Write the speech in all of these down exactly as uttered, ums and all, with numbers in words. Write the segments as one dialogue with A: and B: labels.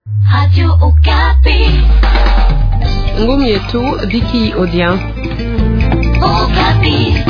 A: Radio Okapi.
B: Ngumi yetu Viki Odia.
A: Okapi.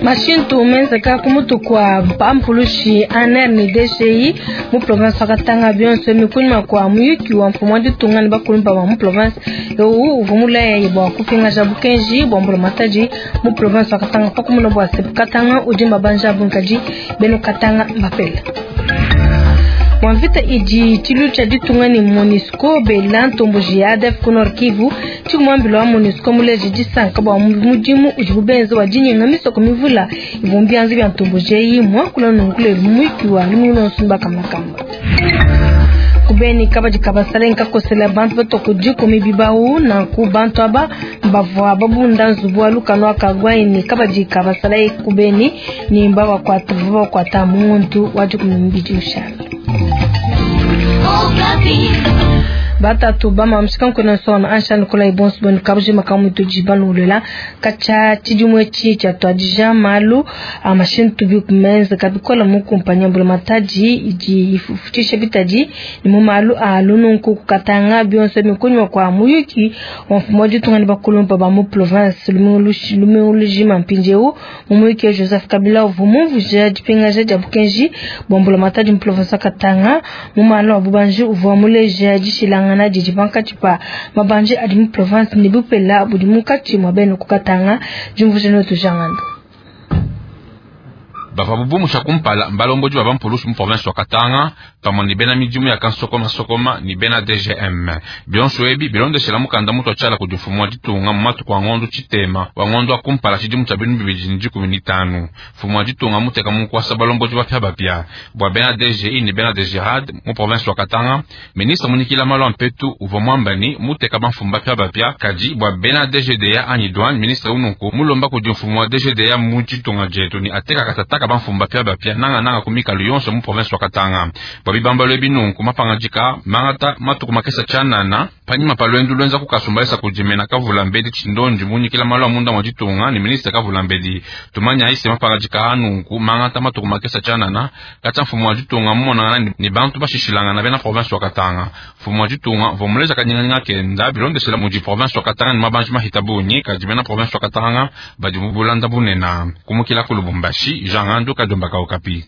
C: Mashintu menzeka kumutu kwa pampulushi A N R ne D G I mu province wa Katanga, bionso mikunyima kwa muyuki wa mfumu wa ditunga ne bakulumpa ba mu province ewu uvua mulaya bua kupingaja bukenji bua mbula matadi mu province wa Katanga, pakumuna bua se Katanga udi mabanja abunkadi beno Katanga mbapela bua mvita idi tshilu tshia ditunga ne MONUSCO bela ntomboji ya A D F ku Nord Kivu. Tshikumambilo wa MONUSCO muleje disanka bua mudimu udibu benza wa dinyenga misoko mivula ivua mbianza bia ntomboji eyi, muakula nunku lelu muiki wa lumingu lonso mbakamakamba kubeni kabadi kabasala nkakosela bantu batoko dikumi bibau. Nanku bantu aba bavua babunda nzubu wa lukano akagwaini kabadi kabasala kubeni ni mbabakwata bakwata muntu wa dikumi mbidi ushala.
A: Okapi.
C: Batatu bama mshika nkona nsona ansha nikola ibonso boni kabuji makamu tuji balulela kacha chidimwe chi cha twadija malu amashintu bi kumenza kabikola mu kumpanya mbula mataji idi ifutisha bitadi ni mu malu a lununku kukatanga, bionso mikunywa kwa muyuki wa mfumo wa ditunga ne bakulumpa ba mu province lumingu lujima. Mpindieu mu muyuki Joseph Kabila uvua mumvuija dipingaja dia bukenji bua mbula matadi mu province wa Katanga mu malu a bubanji, uvua muleja dishilangana didi pankatshi pa mabanji adi mu province ne bupela budi munkatshi mua bena kukatanga. Diumvuija notu jangando.
D: Bavua bubumusha kumpala mbalombodi ba bampulushi mu province wa Katanga pamue ne bena midimu ya kansokomasokoma ne bena D G M. Bionso ebi bilondeshela mukanda mutu atshiala kudi mfumu wa ditunga mu matuku a ngondo tshitema wa ngondo wa kumpala tshidimu tshia binu bibidi ne dikumi ne tanu. Mfumu wa ditunga muteka mu nkuasa balombodi bapiabapia bua bena D G I ne bena D G R A D mu province wa Katanga. Ministre munikila malu a mpetu uvua muamba ni muteka bamfumu bapiabapia, kadi bua bena D G D A anyi douane, ministre ununku mulomba kudi mfumu wa D G D A mu ditunga dietu ni ateka katataka bamfumu bapiabapia nangananga ku mikalu yonso mu province wa Katanga. Bua bibambalo ebi nunku mapangadika mangata matuku makesa tshianana panyima pa lwendu lwenza kukasumbalisa kudimena kavula mbedi tshindondi munyikila malu a munda mwa ditunga ne ministre kavula mbedi. Tumanya ise mapangadika anunku mangata matuku makesa tshianana katya mfumu wa ditunga mumonangana ni bantu bashishilangana bena province wa Katanga. Mfumu wa ditunga vomuleza kanyinganyinga kenda bilondeshela mudi province wa Katanga ni mabanji mahita bunyi, kadi bena province wa Katanga badi mu bulanda bunena. Kumukila ku Lubumbashi, Jean Ngandu Kadombaka, Okapi.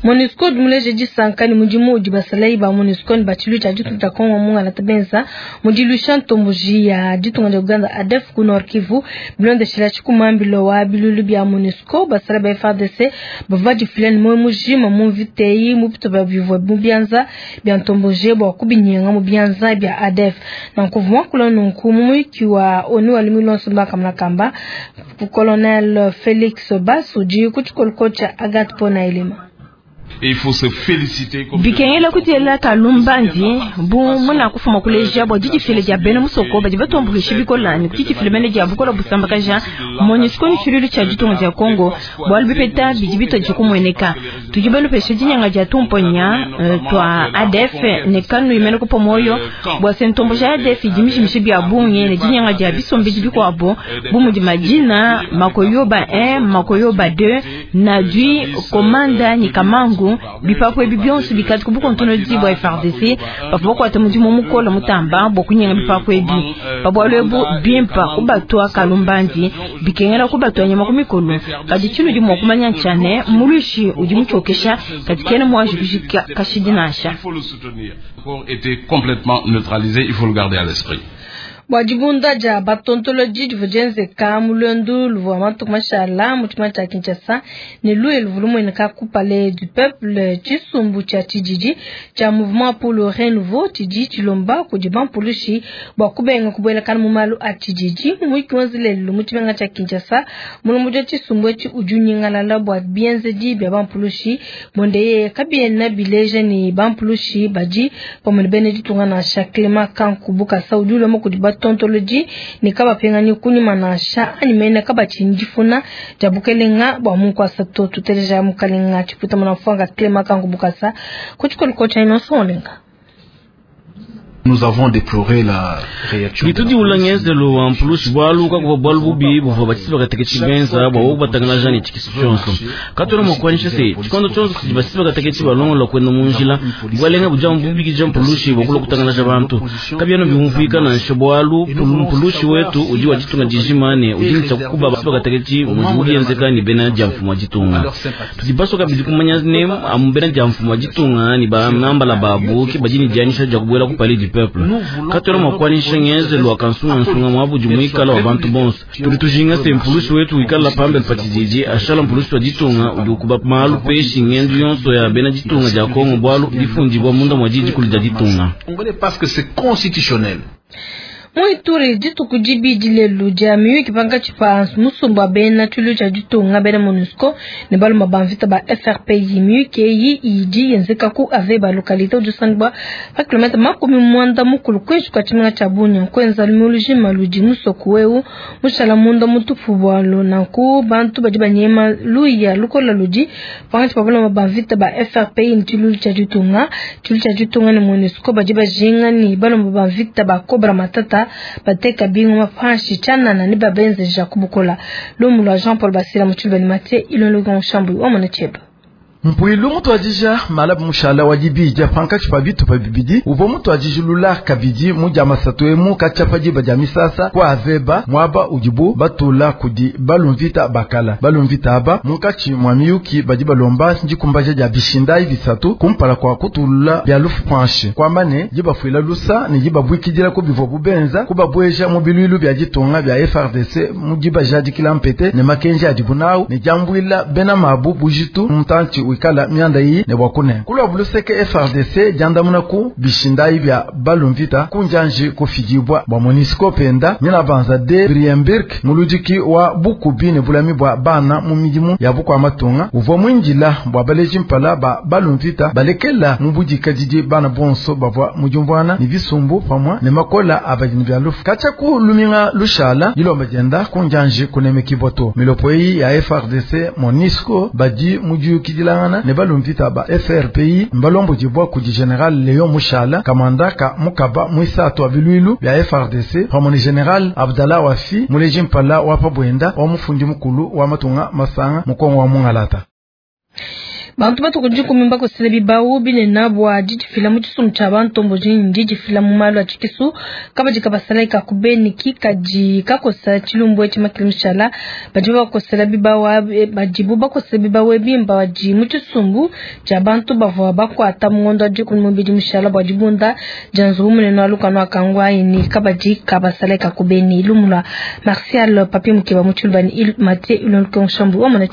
C: MONUSCO dimuleje disanka ni mudimu udi basalayi ba MONUSCO ne batshilu tshia ditunga dia Kongo mungala benza mu diluisha ntomboji ya ditunga dia Uganda A D F ku Nord Kivu. Bilondeshela tshikumambilo wa bilulu bia MONUSCO, basala ba F A R D C bavua badifila ne muoyo mujima mu mvita eyi mu bitupa bivua mu bianza bia ntomboji bua kubinyenga mu bianza bia A D F. Nanku muakula nunku mu muyuki wa ONU wa lumingu lonso mbakamalakamba, colonel Felix Bass udi ku tshikoliko tshia Agathe Pona Elema.
E: Et il faut se féliciter.
F: Bikengela kutiela kalumbandi bu muna kufuma kuleja bua didifile dia bena musoko badi batuambuluisha bikola ne kudidifile mene dia bukola busambakaja MONUSCO ni tshilulu tshia ditunga dia Kongo, bualu bipeta bidi bitodi kumueneka. Tudi balupesha dinyanga dia tumponya uh, tua A D F ne kanu imene kupa moyo bua se ntombo ja A D F idi mishimishe bia bungi ne dinyanga dia bisombedi bikuabo bu mudi Madina, Makoyoba un, Makoyoba deux, Nadui, Komanda ni Kamangu. Bipapu ebi bionso bikati kubukontono bua F A R D C bavua bakuata mudimu mukola mutamba bua kunyenga bipapu ebi. Pabualu ebu bimpa kubatua kalumbandi, bikengela kubatua nyama ku mikolo, kadi tshinudi mua kumanya ntshane muluishi udi mutshiokesha kadi kena muanji kujika kashidi nansha.
E: Il faut le soutenir. Été complètement neutralisé, il faut le garder à l'esprit.
C: Bua dibunda dia batontolodi divua dienzeka mu luendu luvua matuku mashala mu tshima tshia Kinshasa ne luye luvua lumueneka ku Palais du Peuple, tshisumbu tshia tshididi tshia Mouvement pour le Renouveau tshidi tshilomba kudi bampulushi bua kubenga kubuelakana mu malu a tshididi. Mu muyuki wenza lelu mu tshimenga tshia Kinshasa, mulombodi wa tshisumbu etshi udi unyingalala bua bienzedi bia bampulushi bonde yeye kabiena bileja ni bampulushi badi pamue ne bena ditunga nansha. Clement Kanku Bukasa udi ulomba kudi batontolodi ne kabapingani kunyima nansha anyi mene kabatshini difuna dia bukelenga bua munkuasa to. Tuteleja mukalenga tshiputa muna mfuanga Clement Kanku Bukasa ku tshikoliko tshia Innocent Olenga.
G: Nous avons déploré la réaction.
H: Tudi ngenzelo wa mpulushi bwalu kakuvwa bwalu bubi buvwa batisi bakateketshi benza bwa wokubatangalaja ne tshikisu tshionso. Katona mwakwanyisha se tshikondo tshionso tshidi batisi bakateketshi balongola kwenda mu njila bwalenga buja bubikija mpulushi bwakula kutangalaja bantu. Kabyano bimuvika nansha bwalu mpulushi wetu udi wa ditunga dijima ne udi nitsa kukuba batisi bakateketshi mudimu bienzeka ni bena dia mfumu wa ditunga. Tudi basoka bidi kumanya ne amu bena dia mfumu wa ditunga ni ba nambala babu ke badi ni dianyisha dia kubuela ku palais du peuple. Katona mwakwanisha ngenzelo wa kansungansunga mwabudi muikala wa bantu bonso. Tudi tujinga se mpulushi wetu wikala pambele pa tshididi ashala mpulushi wa ditunga udi ukuba malu peshi ngendu yonso ya bena ditunga dia Kongo bwalu bifundibwa munda mwa didi kulu dia ditunga.
G: Parce que c'est constitutionnel.
C: Muituri dituku dibidi lelu dia miyuki pankatshi pa musumba wa bena tshilu tshia ditunga bena MONUSCO ne baluma ba mvita ba F R P I. Miyuki eyi idi yenzeka ku Aveba localité udi usangibwa pa kilomètre makumi mwanda mukulu kuinshi kua tshimenga tshia Bunia. Kuenza lumilu ludi musoku wewu mushala munda mutupu bwalu nanku bantu badi banyema luya lukola ludi pankatshi pa baluma ba mvita ba F R P I ne tshilu tshia ditunga. Tshilu tshia ditunga ne MONUSCO badi bajinga ne baluma ba mvita ba Cobra Matata bateka bingu mapanshi chanana ni babenze jakubukola lumulwa Jean Paul Basila muchulba ni Mathieu Ilonlo Shambu wa mwana cheba.
I: Mpuilu mutu adija malabu mushala wa dibidya pankatshi pa bitupa bibidi uvua mutu adijilula kabidi mudia masatu emu katshia diba dia misasa kwa Aveba mwaba udibu batula kudi balumvita bakala balumvita aba munkatshi mwa miyuki badi balomba ndikumbaja dia bishindai bisatu kumpala kwa kutulula bia lufu panshi kwamba ne dibafuila lusa ne dibabwikidila ku bivua bubenza kubabweja mu biluilu bia ditunga bia F R D C mu dibajadikila mpete ne makenji adibu nawu ne diambuila bena mabu bujitu mutantshi kala mianda iyi ne bwakune kulwa buluseke F R D C diandamuna ku bishindai bya balumvita kunjanji kufidibwa bwa MONUSCO penda nyina banza de Brienberg muludiki wa bukubi ne bulami bwa bana mu midimu ya bukwa matunga uvwa mwinjila bwa baleji mpala ba balumvita balekela mu budika didi bana bonso bavwa mujumvwana ni bisumbu pamwa ne makola abadini bya lufu kacha ku luminga lushala dilomba dienda kunjanji kunemekibwa milopo iyi ya F R D C MONUSCO badi mujuyukidilangana ne balumvita ba F R P I mbalombo dibwa kudi General Leon Mushala kamanda ka mukaba mwisatu wa biluilu bya F R D C pamwe ne General Abdallah Wafi muleji mpala wa pabwenda wa mufundi mukulu wa matunga masanga mukongo wa mungalata.
C: Bantu batukuji kumimba kosela bibau binena bwa didifila mu tshisumbu tshia bantombo didifila mu malu a tshikisu kabadi kabasala kakubeni kikaji kakosa tshilumbu etshi makili mushala badi bakosela bibau badibu bakosela bibau ebimba badi mu tshisumbu tshia bantu bavua bakwata mungondo adi kumubidi mushala bwa dibunda dia nzubu munene wa lukanu akangwa ini kabadi kabasala kakubeni lumula Martial Papi Mukeba mu tshilubani Mathieu Ilonko Shambu wa mwana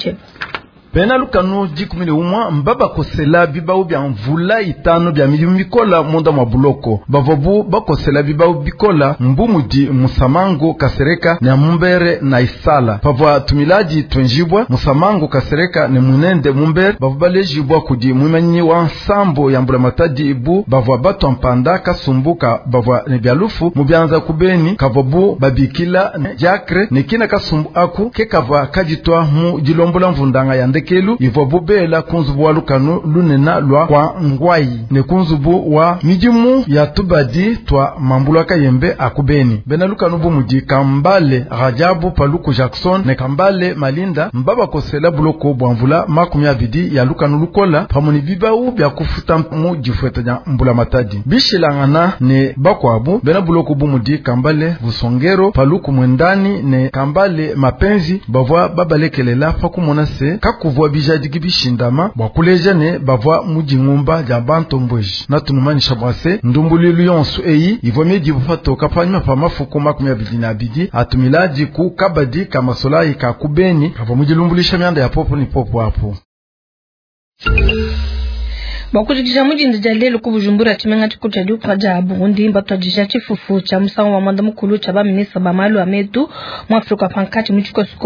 I: Bena lukanu dikumi ne umwa mbaba kosela bibau bya mvula itano bya milimu mikola munda mwa buloko bavobu bakosela bibau bikola mbumudi musamango kasereka ne mumbere na isala pavwa tumilaji twenjibwa musamango kasereka ne munende mumbere bavwa balejibwa kudi mwimanyi wa nsambo ya mbula matadi ibu bavwa batwa mpanda kasumbuka bavwa ne byalufu mubyanza kubeni kavobu babikila ne diakre ne kina kasumbu aku ke kavwa kajitwa mu dilombola mvundanga ya ndekelu ivwa bubela kunzubu wa lukanu lunena lwa kwa ngwai ne kunzubu wa midimu ya tubadi twa mambula kayembe akubeni bena lukanu bumudi kambale Rajabu Paluku Jackson ne kambale Malinda mbaba kosela buloko bwamvula makumi abidi ya lukanu lukola pamoni bibau bya kufuta mu difweta nya mbula matadi bishilangana ne bakwabu bena buloko bumudi kambale Busongero Paluku Mwendani ne kambale Mapenzi bavwa babalekelela pakumona se kakuvwa bijadiki bishindama bwa kuleja ne bavwa mujingumba ja bantombweji natunumanisha bwase ndumbulilu yonso eyi ivwa midibu patoka panyuma pa mafuku makumi abidi na abidi atumilaji ku kabadi kamasolayi ka kubeni kavwa mujilumbulisha myanda ya popo ni popo apo.
C: Bakujikisha mujinda ja lelo ku Bujumbura tshimenga tshikulu tshia diuka dia Burundi mbatwadija tshifufu tshia musangu wa mwanda mukulu tshia baminista ba malu a metu mu Afrika pankatshi mu tshikoso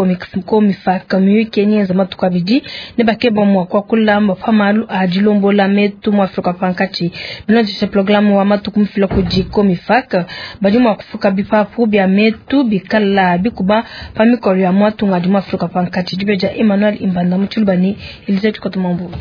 C: COMIFAC miyuki nyenza matuku abidi ne bakeba mwa kuakula pa malu a dilombola metu mu Afrika pankatshi bilondesha programu wa matuku mufila kudi COMIFAC badi mua kufuka bipapu bia metu bikala bikuba pa mikolo ya mwatunga di mu Afrika pankatshi dibe dia Emmanuel Imbanda mu Tshilubani Elise Tshikoto Mambu.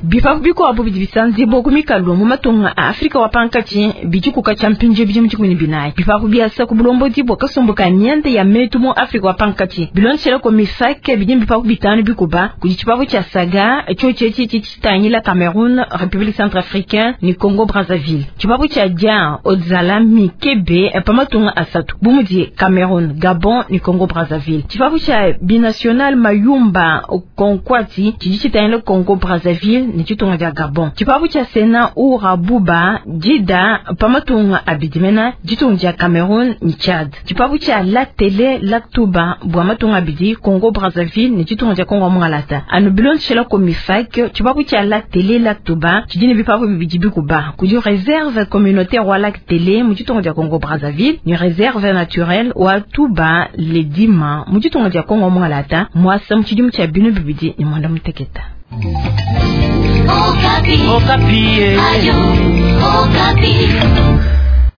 F: Bipapu bikuabu bidi bisanzibua ku mikalu mu matunga a Afrika wa pankatshi bidi kukatshia mpindieu bidimu dikumi ne binayi. Bipapu biasa ku bulombodi bua kasumbu ka mianda ya metu mu Afrika wa pankatshi bilondeshela COMIFAC bidi bipapu bitanu bikuba kudi tshipapu tshia Saga tshiotshi etshi tshitangila Cameroun, République centrafricaine ne Congo Brazzaville. Tshipapu tshia Dia Odzala Mikebe pa matunga asatu bu mudi Cameroun, Gabon ne Congo Brazzaville. Tshipapu tshia Binational Mayumba Konkwati tshidi tshitangila Congo Brazzaville ne tshitunga dia Gabon. Tshipapu tshia Sena Urabuba Dida pa matunga abidi mena ditunga dia Cameroun ne Tchad. Tshipapu tshia Lac Tele Lac Touba bua matunga abidi Congo Brazzaville ne tshitunga dia Congo Mungalata. Anu bilondeshela COMIFAC tshipapu tshia Lac Tele Lac Touba tshidi ne bipapu bibidi bikuba kudi réserve communautaire wa Lac Tele mu tshitunga dia Congo Brazzaville ne réserve naturelle wa Touba Ledima mu tshitunga dia Congo Mungalata mwasa mu tshidimu tshia binu bibidi ne mwanda muteketa.
A: Okapi. Okapi. Ayo, Okapi.